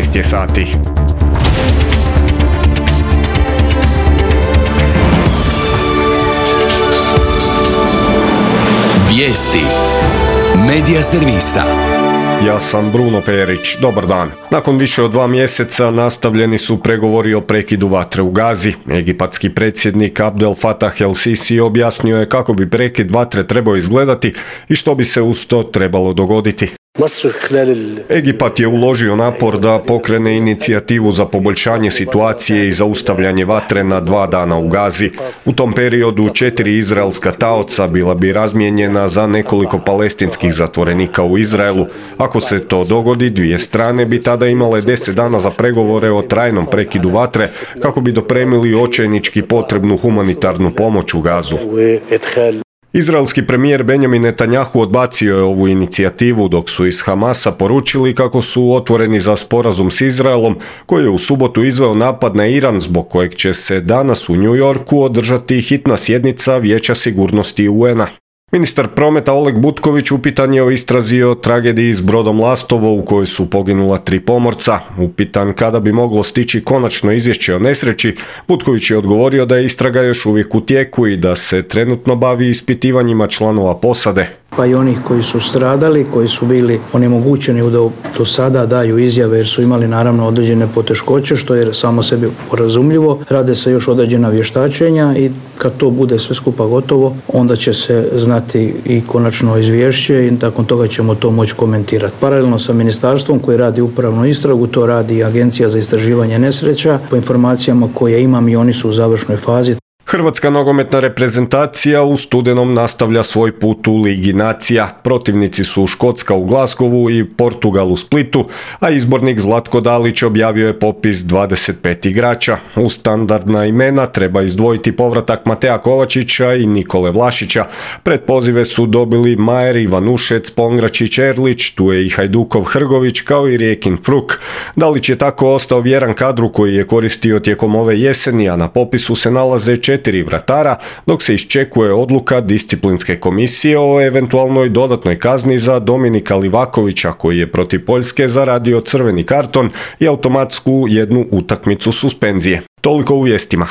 13 je sati. Vijesti Medija servisa. Ja sam Bruno Perić, dobar dan. Nakon više od 2 mjeseca nastavljeni su pregovori o prekidu vatre u Gazi. Egipatski predsjednik Abdel Fattah el-Sisi objasnio je kako bi prekid vatre trebao izgledati i što bi se uz to trebalo dogoditi. Egipat je uložio napor da pokrene inicijativu za poboljšanje situacije i zaustavljanje vatre na 2 dana u Gazi. U tom periodu 4 izraelska taoca bila bi razmijenjena za nekoliko palestinskih zatvorenika u Izraelu. Ako se to dogodi, 2 strane bi tada imale 10 dana za pregovore o trajnom prekidu vatre kako bi dopremili očajnički potrebnu humanitarnu pomoć u Gazu. Izraelski premijer Benjamin Netanjahu odbacio je ovu inicijativu, dok su iz Hamasa poručili kako su otvoreni za sporazum s Izraelom, koji je u subotu izveo napad na Iran, zbog kojeg će se danas u New Yorku održati hitna sjednica Vijeća sigurnosti UN-a. Ministar prometa Oleg Butković upitan je o istrazi o tragediji s brodom Lastovo u kojoj su poginula 3 pomorca. Upitan kada bi moglo stići konačno izvješće o nesreći, Butković je odgovorio da je istraga još uvijek u tijeku i da se trenutno bavi ispitivanjima članova posade. Pa i onih koji su stradali, koji su bili onemogućeni da do sada daju izjave jer su imali naravno određene poteškoće, što je samo sebi razumljivo. Rade se još određena vještačenja i kad to bude sve skupa gotovo, onda će se znati i konačno izvješće i nakon toga ćemo to moći komentirati. Paralelno sa ministarstvom koji radi upravnu istragu, to radi i Agencija za istraživanje nesreća. Po informacijama koje imam i oni su u završnoj fazi. Hrvatska nogometna reprezentacija u studenom nastavlja svoj put u Ligi nacija. Protivnici su Škotska u Glasgowu i Portugal u Splitu, a izbornik Zlatko Dalić objavio je popis 25 igrača. U standardna imena treba izdvojiti povratak Matea Kovačića i Nikole Vlašića. Pred pozive su dobili Majer, Ivanušec, Pongračić, Erlić, tu je i Hajdukov Hrgović kao i Rijekin Fruk. Dalić je tako ostao vjeran kadru koji je koristio tijekom ove jeseni, a na popisu se nalaze 4 vratara, dok se iščekuje odluka disciplinske komisije o eventualnoj dodatnoj kazni za Dominika Livakovića, koji je protiv Poljske zaradio crveni karton i automatsku 1 utakmicu suspenzije. Toliko u vijestima.